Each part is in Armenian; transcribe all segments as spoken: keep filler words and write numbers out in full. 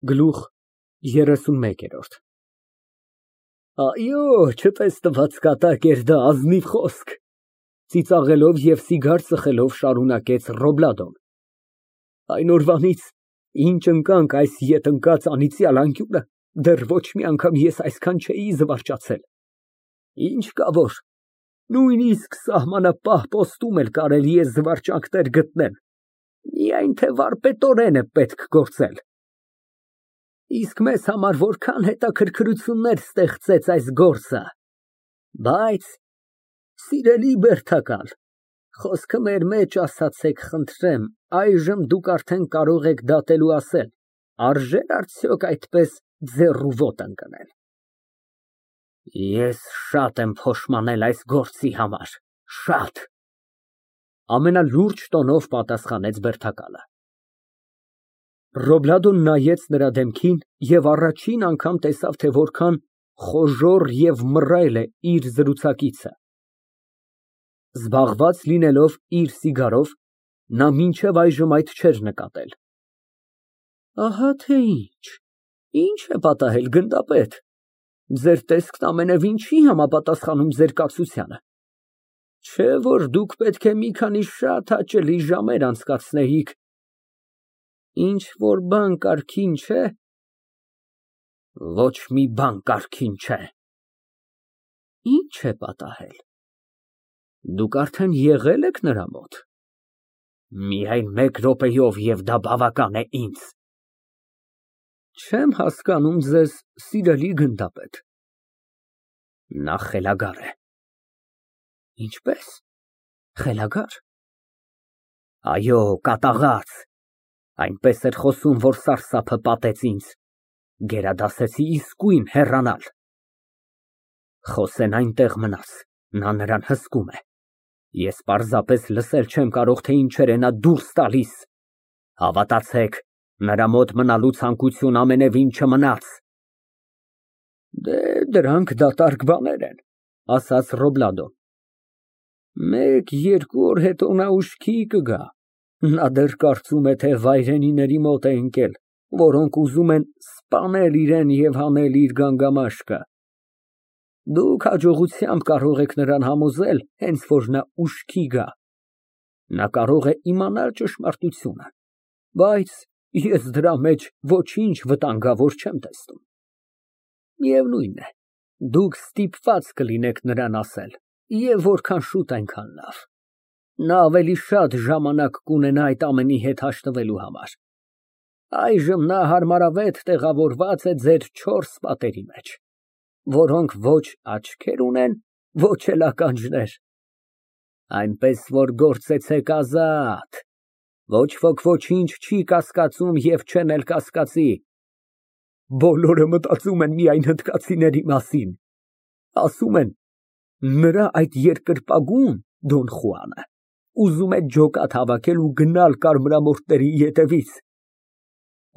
Գլուխ երեսունմեկ։ Այո, չտեսնված կատակ էր դա, ազնիվ խոսք, ծիծաղելով և սիգար ծխելով շարունակեց Ռոբլադոն, այն օրվանից, ինչ ընկանք այս ետ ընկած անիծյալ անկյունը, դեռ ոչ մի անգամ ես այսքան չէի զվարճացել, ինչ կա որ, նույնիսկ սահմանապահ պոստում էլ կարելի է զվարճանքներ գտնել, միայն թե վարպետորեն է պետք գործել։ Իսկ մեզ համար որքան հետաքրքրություններ ստեղծեց այս գործը, բայց, սիրելի Բերդակալ, խոսքը մեր մեջ ասացեք խնդրեմ, այժմ դուք արդեն կարող եք դատել ու ասել, արժե՞ր արդյոք այդպես ձեռու ոտը ընկնել։ Ես շատ եմ փոշմանել այս գործի համար, շատ, ամենալուրջ տոնով պատասխանեց Բերդակալը։ Ռոբլադոն նայեց նրա դեմքին և առաջին անգամ տեսավ, թե որքան խոժոռ և մռայլ է իր զրուցակիցը։ Զբաղված լինելով իր սիգարով, նա մինչև այժմ այդ չէր նկատել։ Ահա թե ինչ, ինչ է պատահել, գնդապետ, ձեր տեսքն ամենևին չի համապատասխանում ձեր կացությանը, չէ՞ որ դուք պետք է մի քանի շատ հաճելի ժամեր անցկացնեիք, ինչ֊որ բան կարգին չէ։ Ոչ մի բան կարգին չէ։ Ի՞նչ է պատահել։ Դուք արդեն եղե՞լ եք նրա մոտ։ Միայն մեկ րոպեով և դա բավական է ինձ։ Չեմ հասկանում ձեզ, սիրելի գնդապետ։ Նա խելագար է։ Ինչպե՞ս, խելագա՞ր։ Այո, կատաղած, այնպես էր խոսում, որ սարսափը պատեց ինձ, գերադասեցի իսկույն հեռանալ։ Խոսեն այնտեղ մնաց, նա նրան հսկում է, ես պարզապես լսել չեմ կարող, թե ինչեր է նա դուրս տալիս, հավատացեք, նրա մոտ մնալու ցանկություն ամենևին չմնաց։ Դե, դրանք դատարկ բաներ են, ասաց Ռոբլադոն, մեկ֊երկու օր հետո նա ուշքի կգա, նա դեռ կարծում է, թե վայրենիների մոտ է ընկել, որոնք ուզում են սպանել իրան և հանել իր գանգամաշկը։ Դուք հաջողությամբ կարող եք նրան համոզել, հենց որ նա ուշքի գա, նա կարող է իմանալ ճշմարտությունը, բայց ես դրա մեջ ոչինչ վտանգավոր չեմ տեսնում։ Միևնույն է, դուք ստիպված կլինեք նրան ասել, և որքան շուտ այնքան լավ, նա ավելի շատ ժամանակ կունենա այդ ամենի հետ հաշտվելու համար։ Այժմ նա հարմարավետ տեղավորված է ձեր չորս պատերի մեջ, որոնք ոչ աչքեր ունեն, ոչ էլ ականջներ, այնպես որ գործեցեք ազատ, ոչ ոք ոչինչ չի կասկածում և չեն էլ կասկածի։ Բոլորը մտածում են միայն հնդկացիների մասին, ասում են, նրա այդ երկրպագուն Դոն Խուանը ուզում է ջոկատ հավաքել ու գնալ կարմրամորթների ետևից։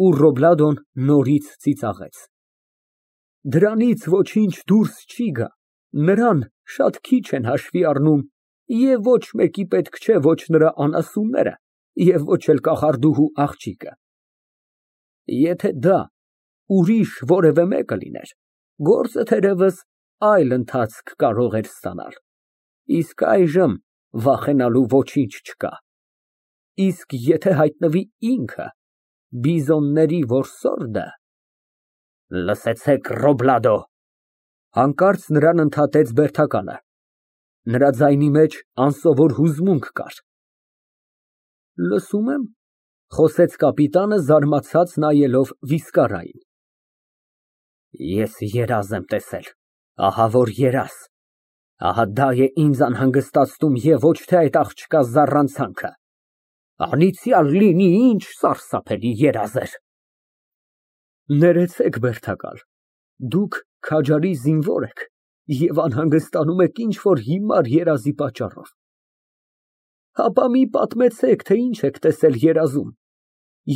Ու Ռոբլադոն նորից ծիծաղեց։ Դրանից ոչինչ դուրս չի գա, նրան շատ քիչ են հաշվի առնում և ոչ մեկի պետք չէ ոչ նրա անասունները և ոչ էլ կախարդուհու աղջիկը։ Եթե դա ուրիշ որևէ մեկը լիներ, գործը թերևս այլ ընթացք կարող էր ստանալ, իսկ այժմ վախենալու ոչինչ չկա։ Իսկ եթե հայտնվի ինքը, բիզոնների որսորդը… Լսեցեք, Ռոբլադո, հանկարծ նրան ընդհատեց Բերդակալը, նրա ձայնի մեջ անսովոր հուզմունք կար։ Լսում եմ, խոսեց կապիտանը, զարմացած նայելով վիզկարային։ Ես երազ եմ տեսել, ահա որ երազ, ահա դա է ինձ անհանգստացնում և ոչ թե այդ աղջկա զառանցանքը, անիծյալ լինի, ինչ սարսափելի երազ էր։ Ներեցեք, Բերդակալ, դուք քաջարի զինվոր եք և անհանգստանում եք ինչ֊որ հիմար երազի պատճառով։ Հապա մի պատմեցեք, թե ինչ եք տեսել երազում,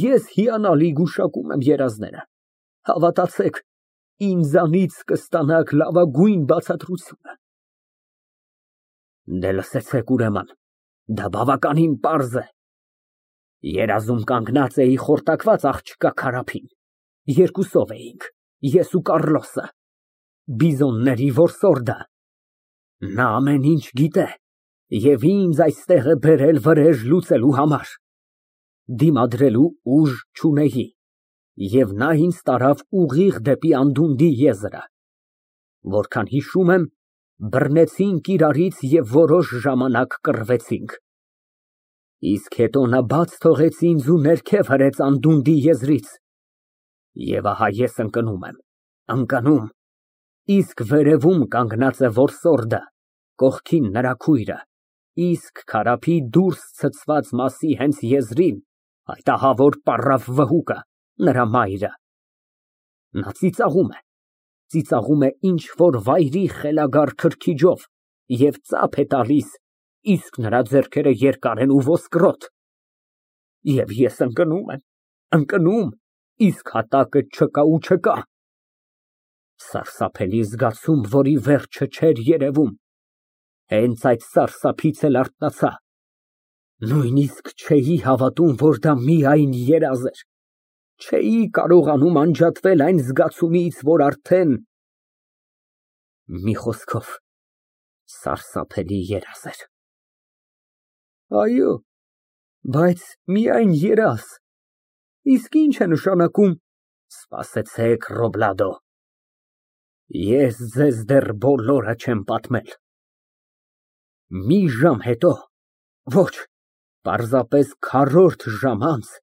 ես հիանալի գուշակում եմ երազները, հավատացեք, ինձանից կստանաք լավագույն բացատրությունը։ Դե լսեցեք, ուրեմն, դա բավականին պարզ է։ Երազում կանգնած էի խորտակված աղջկա քարափին Երկուսով էինք, ես ու Կառլոսը, բիզոնների որսորդը։ Նա ամեն ինչ գիտե և ինձ այստեղ է բերել վրեժ լուծելու համար։ Դիմադրելու ուժ չունեի, և նա ինձ տարավ ուղիղ դեպի անդունդի եզրը։ Որքան հիշում եմ, բռնեցինք իրարից և որոշ ժամանակ կռվեցինք։ Իսկ հետո նա բաց թողեց ինձ ու ներքև հրեց անդունդի եզրից։ Եվ ահա ես ընկնում եմ, ընկնում, իսկ վերևում կանգնած է որսորդը, կողքին նրա քույրը, իսկ քարափի դուրս ցցված մասի հենց եզրին այդ ահավոր պառավ վհուկը, նրա մայրը։ Նա ծիծաղում է, ծիծաղում է ինչ֊որ վայրի խելագար քրքիջով և ծափ է տալիս, իսկ նրա ձեռքերը երկար են ու ոսկրոտ։ Եվ ես ընկնում եմ, ընկնում, իսկ հատակը չկա ու չկա։ Սարսափելի զգացում, որի վերջը չէր երևում, հենց այդ սարսափից էլ արթնացա։ Նույնիսկ չէի հավատում, որ դա միայն երազ էր, չէի կարողանում անջատվել այն զգացումից, որ արդեն… մի խոսքով, սարսափելի երազ էր։ Այո, բայց միայն երազ, իսկ ի՞նչ է նշանակում… Սպասեցեք, Ռոբլադո, ես ձեզ դեռ բոլորը չեմ պատմել։ Մի ժամ հետո, ոչ, պարզապես քառորդ ժամ անց,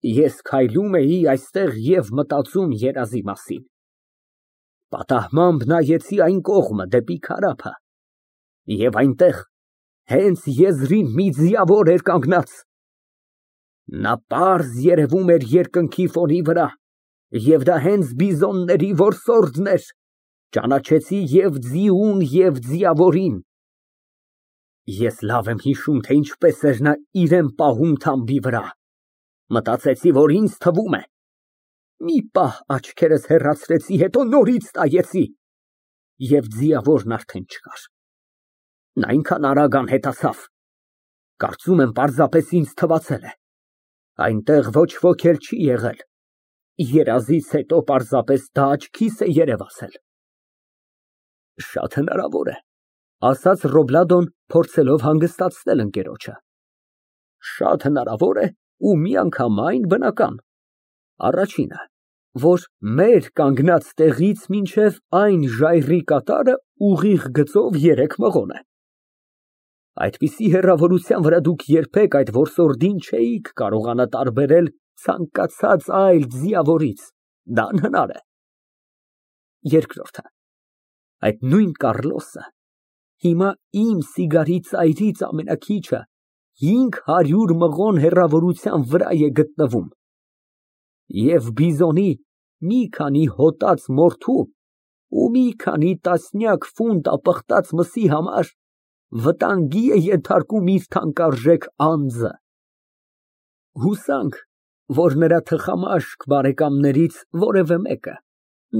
ես քայլում էի այստեղ և մտածում երազի մասին։ Պատահմամբ նայեցի այն կողմը, դեպի քարափը, և այնտեղ հենց եզրին մի ձիավոր էր կանգնած։ Նա պարզ երևում էր երկնքի ֆոնի վրա, և դա հենց բիզոնների որսորդն էր, ճանաչեցի և ձիուն, և ձիավորին։ Ես լավ եմ հիշում, թե ինչպես էր նա իրան պահում թամբի վրա, մտածեցի, որ ինձ թվում է… Մի պահ աչքերս հեռացրեցի, հետո նորից նայեցի, և ձիավորն արդեն չկար։ Նա այնքան արագ անհետացավ, կարծում եմ պարզապես ինձ թվացել է, այնտեղ ոչ ոք էլ չի եղել, երազից հետո պարզապես դա աչքիս է երևացել։ Շատ հնարավոր է, ասաց Ռոբլադոն, փորձելով հանգստացնել ընկերոջը, շատ հնարավոր է ու միանգամայն բնական։ Առաջինը, որ մեր կանգնած տեղից մինչև այն ժայռի կատարը ուղիղ գծով երեք մղոն է։ Այդպիսի հեռավորության վրա դուք երբեք այդ որսորդին չէիք կարողանա տարբերել ցանկացած այլ ձիավորից, դա անհնար է։ Երկրորդը, այդ նույն Կառլոսը հիմա իմ սիգարի ծայրից ամենաքիչը հինգ հարյուր մղոն հեռավորության վրա է գտնվում, և բիզոնի մի քանի հոտած մորթու ու մի քանի տասնյակ ֆունտ ապխտած մսի համար վտանգի է ենթարկում իր թանկարժեք անձը։ Հուսանք, որ նրա թխամաշկ բարեկամներից որևէ մեկը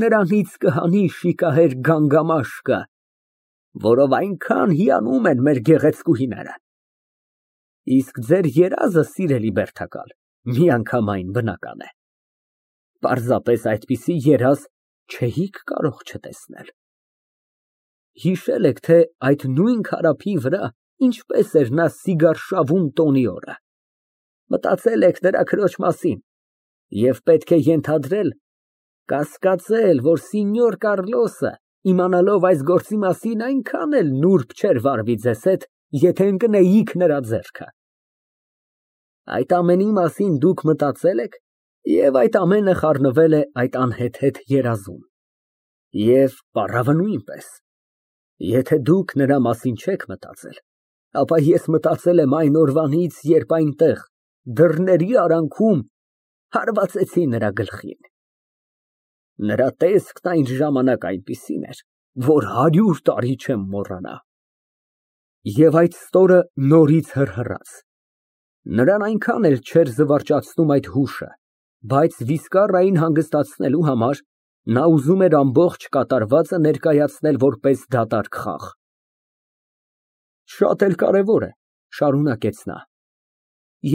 նրանից կհանի շիկահեր գանգամաշկը, որով այնքան հիանում են մեր գեղեցկուհիները։ Իսկ ձեր երազը, սիրելի բերդակալ, միանգամայն բնական է։ Պարզապես այդպիսի երազ չէիք կարող չտեսնել։ Հիշել եք, թե այդ նույն քարափի վրա ինչպես էր նա սիգար շավում տոնի օրը, մտածել եք նրա քրոջ մասին և պետք է ենթադրել, կասկածել, որ սենյոր Կառլոսը, իմանալով այս գործի մասին, այնքան էլ նուրբ չէր վարվի ձեզ հետ, եթե ընկնեիք նրա ձեռքը։ Այդ ամենի մասին դուք մտածել եք և այդ ամենը խառնվել է այդ անհեթեթ երազում։ Եվ պառավը նույնպես։ Եթե դուք նրա մասին չեք մտածել, ապա ես մտածել եմ այն օրվանից, երբ այնտեղ, դռների արանքում, հարվածեցի նրա գլխին։ Նրա տեսքն այն ժամանակ այնպիսին էր, որ հարյուր տարի չեմ մոռանա։ Եվ այդ ստորը նորից հռհռաց։ Նրան այնքան էլ չէր զվարճացնում այդ հուշը, բայց վիսկառային հանգստացնելու համար նա ուզում էր ամբողջ կատարվածը ներկայացնել որպես դատարկ խաղ։ Շատ էլ կարևոր է, շարունակեց նա,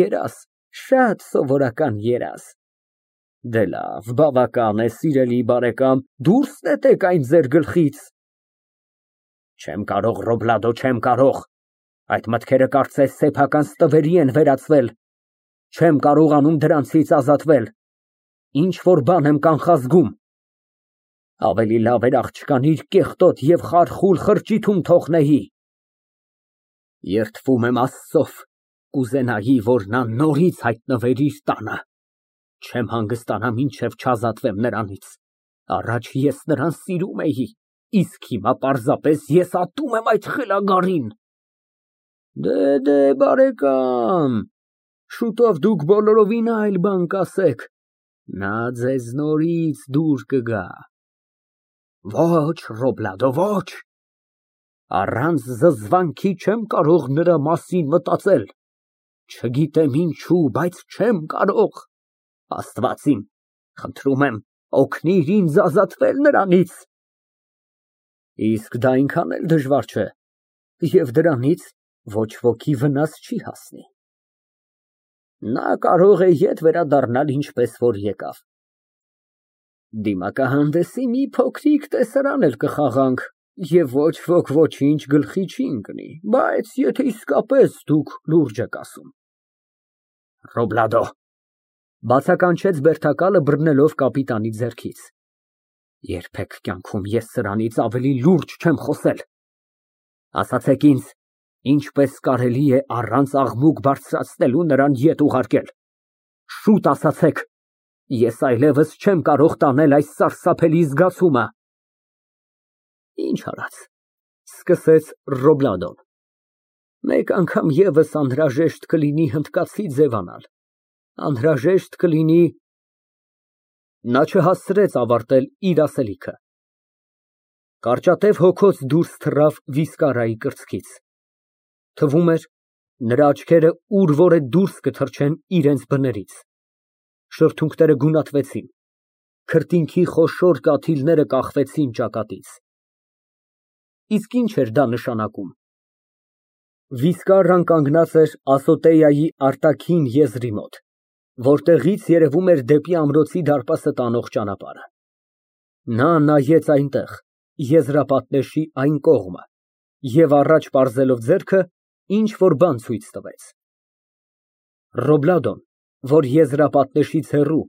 երազ, շատ սովորական երազ։ Դե լավ, բավական է, սիրելի բարեկամ, դուրս նետեք այն ձեր գլխից։ Չեմ կարող, Ռոբլադո, չեմ կարող, այդ մտքերը կարծես սեփական ստվերի են վերածվել, չեմ կարողանում դրանցից ազատվել, ինչ-որ բան եմ կանխազգում, ավելի լավ էր աղջկան իր կեղտոտ և խարխուլ խրճիթում թողնեի։ Երդվում եմ Աստծով, կուզենայի, որ նա նորից հայտնվեր իր տանը, չեմ հանգստանա, մինչև չազատվեմ նրանից, առաջ ես նրան սիրում էի, իսկ հիմա պարզապես ես ատում եմ այդ խելագարին։ Դե, դե, բարեկամ, շուտով դուք բոլորովին այլ բան կասեք, նա ձեզ նորից դուր կգա։ Ոչ, Ռոբլադո, ոչ, առանց զզվանքի չեմ կարող նրա մասին մտածել, չգիտեմ ինչու, բայց չեմ կարող, Աստված իմ, խնդրում եմ, օգնիր ինձ ազատվել նրանից։ Իսկ դա այնքան էլ դժվար չէ, և դրանից ոչ ոքի վնաս չի հասնի։ Նա կարող է ետ վերադառնալ ինչպես որ եկավ։ Դիմակահանդեսի մի փոքրիկ տեսարան էլ կխաղանք, և ոչ ոք ոչինչ գլխի չի ընկնի, բայց եթե իսկապես դուք լուրջ եք ասում։ Ռոբլադո, բացականչեց Բերդակալը, բռնելով կապիտանի ձեռքից, երբեք կյանքում ես սրանից ավելի լուրջ չեմ խոսել։ Ասացեք ինձ, ինչպես կարելի է առանց աղմուկ բարձրացնելու նրան ետ ուղարկել։ Շուտ ասացեք, ես այլևս չեմ կարող տանել այս սարսափելի զգացումը։ Ինչ արած, սկսեց Ռոբլադոն, մեկ անգամ ևս անհրաժեշտ կլինի հնդկացի ձևանալ, անհրաժեշտ կլինի… Նա չհասցրեց ավարտել իր ասելիքը։ Կարճատև հոգոց դուրս թռավ վիսկարայի կրծքից, թվում էր, նրա աչքերը ուր որ է դուրս կթռչեն իրենց բներից, շրթունքները գունատվեցին, քրտինքի խոշոր կաթիլները կախվեցին ճակատից։ Իսկ ինչ էր դա նշանակում։ Վիսկարան կանգնած էր Ասոտեայի արտաքին եզրի մոտ, որտեղից երևում էր դեպի ամրոցի դարպասը տանող ճանապարհը։ Նա նայեց այնտեղ, եզրապատնեշի այն կողմը, և առաջ պարզելով ձեռքը, ինչ֊որ բան ցույց տվեց։ Ռոբլադոն, որ եզրապատնեշից հեռու,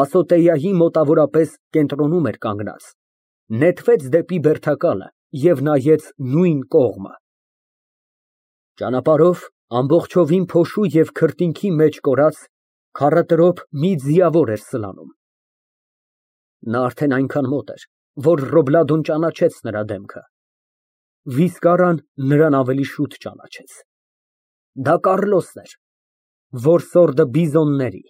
Ասոտեայի մոտավորապես կենտրոնում էր կանգնած, նետվեց դեպի Բերդակալը և նայեց նույն կողմը։ Ճանապարհով ամբողջովին փոշու և քրտինքի մեջ կորած քառատրոփ մի ձիավոր էր սլանում։ Նա արդեն այնքան մոտ էր, որ Ռոբլադոն ճանաչեց նրա դեմքը։ Վիսկարան նրան ավելի շուտ ճանաչեց։ Դա Կառլոսն էր, որսորդը Բիզոնների։